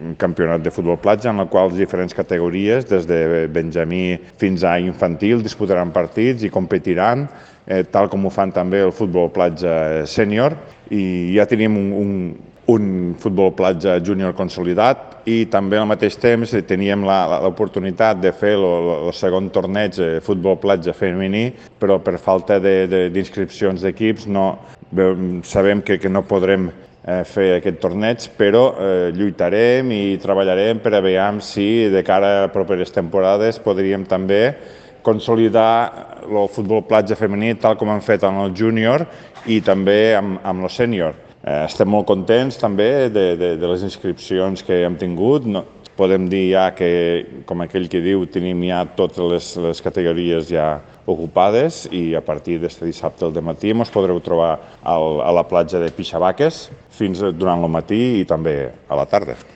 un campionat de futbol platja en el qual diferents categories, des de benjamí fins a infantil, disputaran partits i competiran, tal com ho fan també el futbol platja sènior. I ja tenim un futbol platja júnior consolidat i també al mateix temps teníem l'oportunitat de fer el segon torneig de futbol platja femení, però per falta d'inscripcions d'equips sabem que no podrem fer aquest torneig, però lluitarem i treballarem per a veure si de cara a properes temporades podríem també consolidar el futbol platja femení tal com han fet en el júnior i també amb el sènior. Estem molt contents també de les inscripcions que hem tingut. Podem dir ja que, com aquell que diu, tenim ja totes les categories ja ocupades i a partir d'este dissabte al dematí ens podreu trobar a la platja de Pixabaques fins durant el matí i també a la tarda.